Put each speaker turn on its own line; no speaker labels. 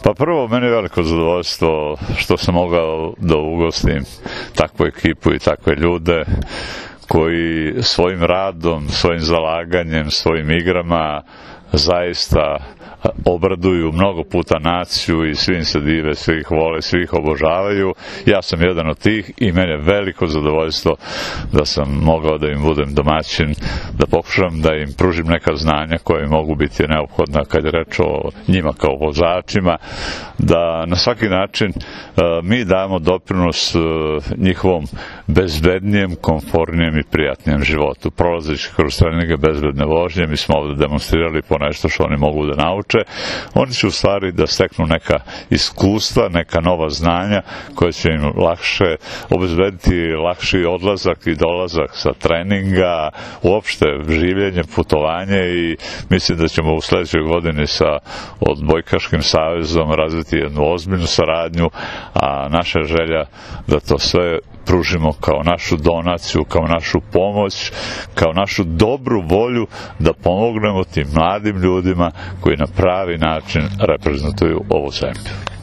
Pa prvo, meni je veliko zadovoljstvo što sam mogao da ugostim takvu ekipu i takve ljude koji svojim radom, svojim zalaganjem, svojim igrama zaista obraduju mnogo puta naciju i svi im se dive, svi ih vole, svi ih obožavaju. Ja sam jedan od tih i meni je veliko zadovoljstvo da sam mogao da im budem domaćin, da pokušam da im pružim neka znanja koje mogu biti neophodna kad je reč o njima kao vozačima, da na svaki način mi damo doprinos njihovom bezbednijem, komfortnijem i prijatnijem životu. Prolazeći kroz treninge bezbedne vožnje, mi smo ovde demonstrirali po nešto što oni mogu da nauče. Oni će u stvari da steknu neka iskustva, neka nova znanja koje će im lakše obezbediti lakši odlazak i dolazak sa treninga, uopšte življenje, putovanje, i mislim da ćemo u sledećoj godini sa Odbojkaškim savezom razviti jednu ozbiljnu saradnju, a naša želja da to sve pružimo kao našu donaciju, kao našu pomoć, kao našu dobru volju da pomognemo tim mladim ljudima koji na pravi način reprezentuju ovu zemlju.